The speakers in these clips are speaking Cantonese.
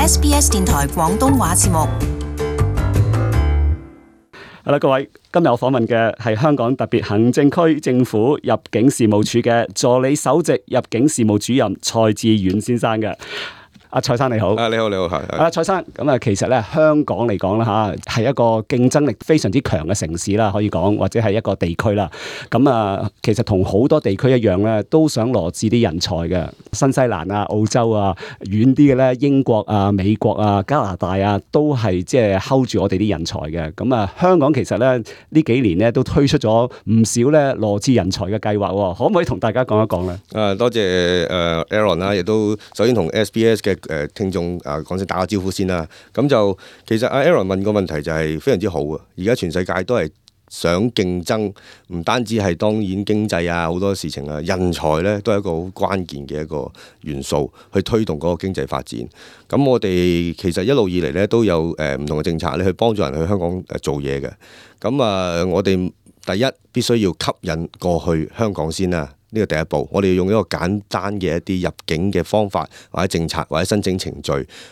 SBS 電台廣東話節目。好啦，各位，今日我訪問嘅係香港特別行政區政府入境事務處嘅助理首席入境事務主任蔡志遠先生嘅。阿蔡生你好，你好，係。蔡生，咁啊，其實咧香港嚟講啦嚇，係一個競爭力非常之強嘅城市啦，可以講或者係一個地區啦。咁啊，其實同好多地區一樣咧，都想羅致啲人才嘅。新西蘭啊、澳洲啊，遠啲嘅咧，英國啊、美國啊、加拿大啊，都係即係 hold 住我哋啲人才嘅。咁啊，香港其實咧呢幾年咧都推出咗唔少咧羅致人才嘅計劃喎，可唔可以同大家講一講咧？多謝Aaron 啦，亦都首先同 SBS 嘅聽眾講聲打個招呼先啦。咁就其實Aaron 問個問題就係非常之好啊！而家全世界都係想競爭，唔單止係當然經濟啊，好多事情啊，人才咧都係一個好關鍵嘅一個元素，去推動嗰個經濟發展。咁我哋其實一路以嚟咧都有唔同嘅政策咧，去幫助人去香港做嘢嘅。咁我哋第一必須要吸引過去香港先啦。呢個第一步，我哋要用一個簡單嘅一啲入境嘅方法，或者政策，或者申請程序，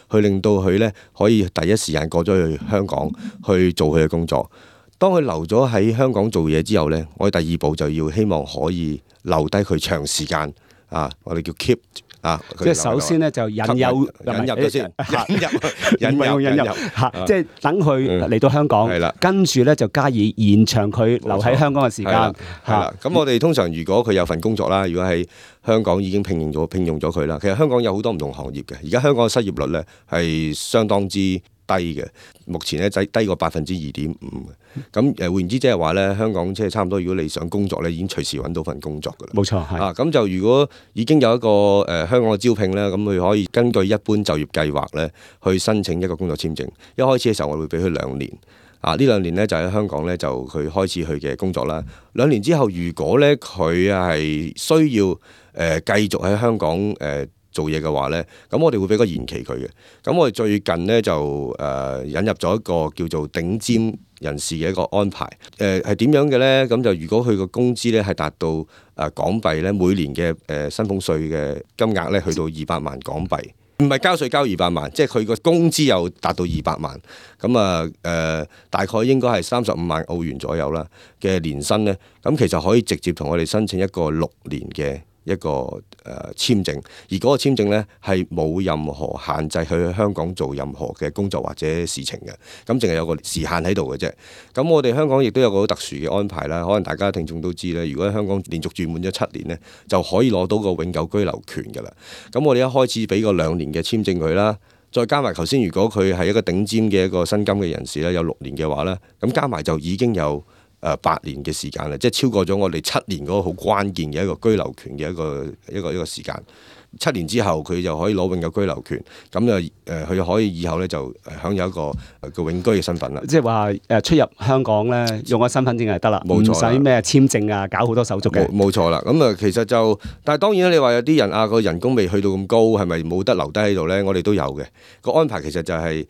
去令到佢咧可以第一時間過咗去香港去做佢嘅工作。當佢留咗喺香港做嘢之後咧，我哋第二步就要希望可以留低佢長時間啊，我哋叫 keep 啊。即係首先咧就引入咗先，引入嚇，即係等佢嚟到香港，跟住咧就加以延長佢留喺香港嘅時間。係啦，咁我哋通常如果佢有份工作啦，如果喺香港已經聘用咗佢啦，其實香港有好多唔同行業嘅。而家香港嘅失業率咧係相當之低嘅，目前咧低過2.5%嘅。咁換言之，即係話咧，香港即係差唔多。如果你想工作咧，已經隨時揾到份工作㗎啦。冇錯，係。咁就如果已經有一個香港嘅招聘咧，咁佢可以根據一般就業計劃咧，去申請一個工作簽證。一開始嘅時候，我會俾佢2年。呢2年咧就喺香港咧就佢開始佢嘅工作啦。2年之後，如果咧佢係需要繼續喺香港做嘢嘅話咧，咁我哋會俾個延期佢嘅。咁我哋最近咧就引入咗一個叫做頂尖人士嘅一個安排。係點樣嘅咧？咁就如果佢個工資咧係達到港幣咧每年嘅薪俸稅嘅金額咧去到200萬港幣，唔係交稅交200萬，即係佢個工資又達到200萬。咁大概應該係35萬澳元左右啦嘅年薪咧。咁其實可以直接同我哋申請一個6年嘅一個簽證，而嗰個簽證咧係冇任何限制去香港做任何嘅工作或者事情嘅，咁淨係有個時限喺度嘅啫。咁我哋香港亦都有個好特殊嘅安排啦，可能大家聽眾都知咧，如果喺香港連續住滿咗7年咧，就可以攞到個永久居留權㗎啦。咁我哋一開始俾個2年嘅簽證佢啦，再加埋頭先，如果佢係一個頂尖嘅一個薪金嘅人士咧，有6年嘅話咧，咁加埋就已經有8年嘅時間啦，即係超過咗我哋7年嗰個好關鍵嘅一個居留權嘅一個時間。7年之後佢就可以攞永久居留權，咁就佢可以以後咧就享有一個永居嘅身份啦。即係話出入香港咧用個身份證就得啦，唔使咩簽證啊，搞好多手續嘅。冇錯啦，咁其實就，但係當然啦，你話有啲人個人工未去到咁高，係咪冇得留低喺度咧？我哋都有嘅。個安排其實就係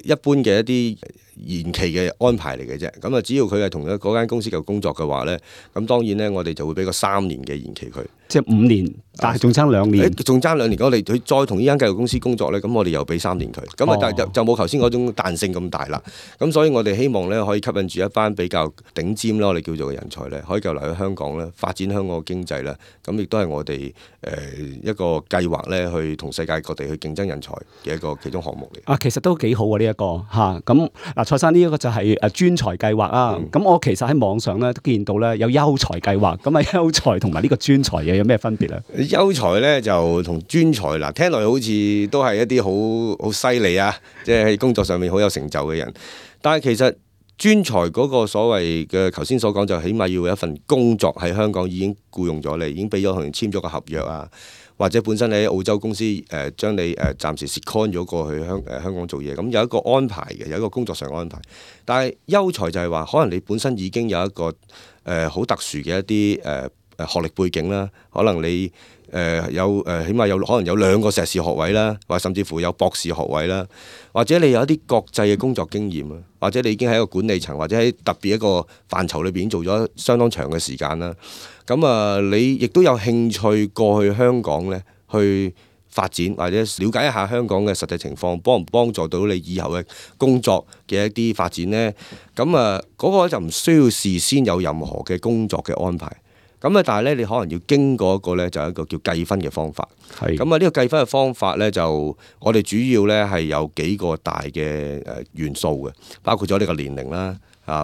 一般嘅一啲延期嘅安排嚟嘅啫。咁只要佢係同嗰間公司嘅工作嘅話咧，咁當然咧我哋就會俾個3年嘅延期佢。即係5年，但係仲爭2年。仲爭2年，我哋佢再同呢間繼續公司工作咧，咁我哋又俾3年佢。咁但係就冇頭先嗰種彈性咁大啦。咁所以我哋希望咧可以吸引住一班比較頂尖啦，我哋叫做嘅人才咧，可以繼續嚟去香港咧發展香港嘅經濟啦。咁亦都係我哋一個計劃咧，去同世界各地去競爭人才嘅一個其中項目嚟。其實都幾好啊呢一個嚇。咁蔡生呢一個就係專才計劃啊。咁我其實喺網上咧都見到咧有優才計劃。咁優才同埋呢個專才有咩分別咧？優才咧就同專才嗱，聽落好似都係一啲好犀利啊，即係喺工作上面好有成就嘅人。但係其實專才嗰個所謂嘅頭先所講，就起碼要有一份工作喺香港已經僱用咗你，已經俾咗同人簽咗個合約啊，或者本身你喺澳洲公司將你暫時 second 咗過去香港做嘢，咁有一個安排嘅，有一個工作上嘅安排。但係優才就係話，可能你本身已經有一個好特殊嘅一啲學歷背景啦，可能你起碼有可能有2個碩士學位啦，或者甚至乎有博士學位啦，或者你有一啲國際嘅工作經驗啊，或者你已經喺一個管理層或者喺特別一個範疇裏邊做咗相當長嘅時間啦。咁你亦都有興趣過去香港咧，去發展，或者了解一下香港嘅實際情況，幫唔幫助到你以後嘅工作嘅一啲發展呢？咁嗰個就唔需要事先有任何嘅工作嘅安排。咁但係咧，你可能要經過一個咧，就係一個叫計分嘅方法。係咁呢個計分嘅方法咧，就我哋主要咧係有幾個大嘅元素嘅，包括咗你個年齡啦。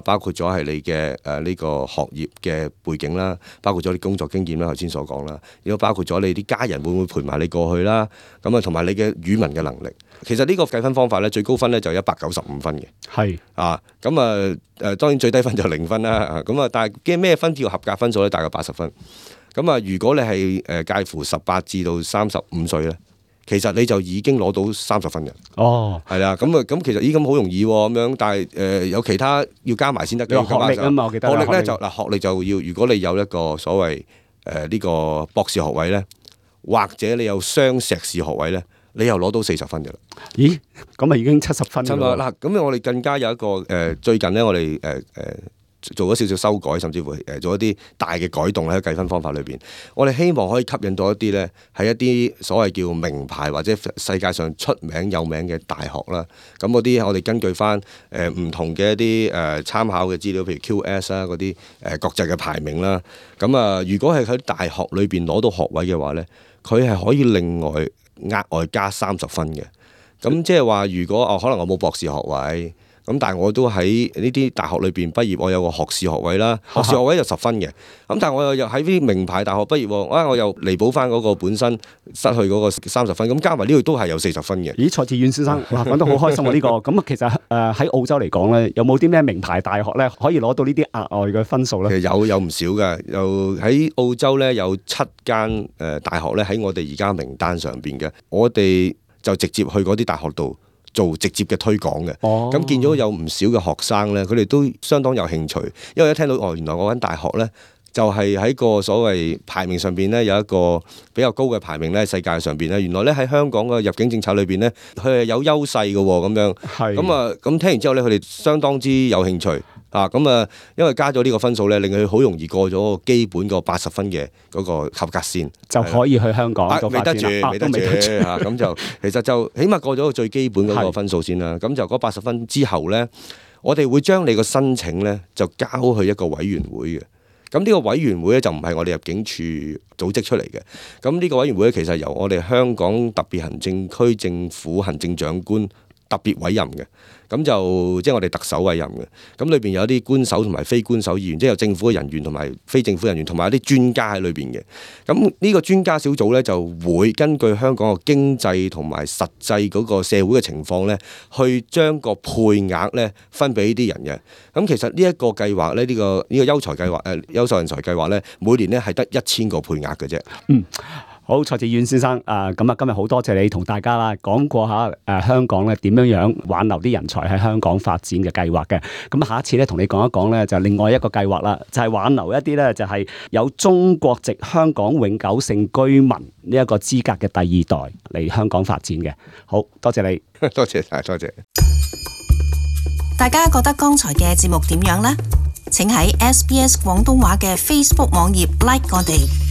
包括咗係你嘅呢個學業嘅背景啦，包括咗你工作經驗啦，頭先所講啦，亦都包括咗你啲家人會唔會陪埋你過去啦，咁同埋你嘅語文嘅能力。其實呢個計分方法咧，最高分咧就195分嘅。係當然最低分就0分啦。但係咩分叫合格分數咧？大概80分。如果你係介乎18至到35歲咧，其實你就已經攞到30分嘅。係啦，咁其實咁好容易咁樣，但係有其他要加埋先得嘅。學歷啊嘛，我記得。學歷咧就學歷就要，如果你有一個所謂呢個博士學位咧，或者你有雙碩士學位咧，你又攞到40分嘅啦。咦？咁啊已經70分啦。嗱，咁我哋更加有一個最近咧，我哋做咗少少修改，甚至乎做一啲大嘅改動喺計分方法裏邊。我哋希望可以吸引到一啲咧，係一啲所謂叫名牌或者世界上出名有名嘅大學啦。咁嗰啲我哋根據翻唔同嘅一啲參考嘅資料，譬如 QS 啦嗰啲國際嘅排名啦。如果係喺大學裏邊攞到學位嘅話咧，佢係可以另外額外加30分嘅。咁即係話，如果可能我冇博士學位。但係我都喺呢啲大學裏邊畢業，我有個學士學位啦，學士學位就10分嘅。但係我又喺啲名牌大學畢業，我又彌補翻嗰個本身失去嗰個30分，咁加埋呢度都係有40分嘅。咦，蔡志遠先生，講得好開心喎呢個。咁其實喺澳洲嚟講咧，有冇啲咩名牌大學咧可以攞到呢啲額外嘅分數咧？其實有唔少嘅，又喺澳洲咧有7間大學咧喺我哋而家名單上邊嘅，我哋就直接去嗰啲大學度做直接嘅推廣嘅。咁見咗有唔少嘅學生咧，佢哋都相當有興趣，因為一聽到原來我間大學咧就係喺個所謂排名上邊咧有一個比較高嘅排名咧，世界上邊咧原來咧喺香港嘅入境政策裏邊咧佢係有優勢嘅喎，咁樣。咁聽完之後咧，佢哋相當之有興趣。因為加咗呢個分數咧，令佢好容易過咗基本個80分嘅嗰個合格線，就可以去香港做發展啦。未得住咁就其實就起碼過咗個最基本嗰個分數先啦。咁就嗰80分之後咧，我哋會將你個申請咧就交去一個委員會嘅。咁呢個委員會咧就唔係我哋入境處組織出嚟嘅。咁呢個委員會咧其實由我哋香港特別行政區政府行政長官特別委任嘅。咁就即係我哋特首委任嘅，咁裏邊有啲官守同埋非官守議員，即係有政府嘅人員同埋非政府人員，同埋有啲專家喺裏邊嘅。咁呢個專家小組咧就會根據香港嘅經濟同埋實際嗰個社會嘅情況咧，去將個配額咧分俾呢啲人嘅。咁其實呢一個計劃咧，呢個優才計劃優秀人才計劃咧，每年咧係得1000個配額嘅啫。好，蔡志遠先生，今日好多謝你同大家啦講過下香港咧點樣挽留啲人才喺香港發展嘅計劃嘅。咁下一次咧同你講一講咧就另外一個計劃啦，就係挽留一啲咧就係有中國籍香港永久性居民呢一個資格嘅第二代嚟香港發展嘅。好多謝你，多謝晒，多謝。大家覺得剛才嘅節目點樣呢？請喺SBS 廣東話嘅 Facebook 網頁 like 我哋。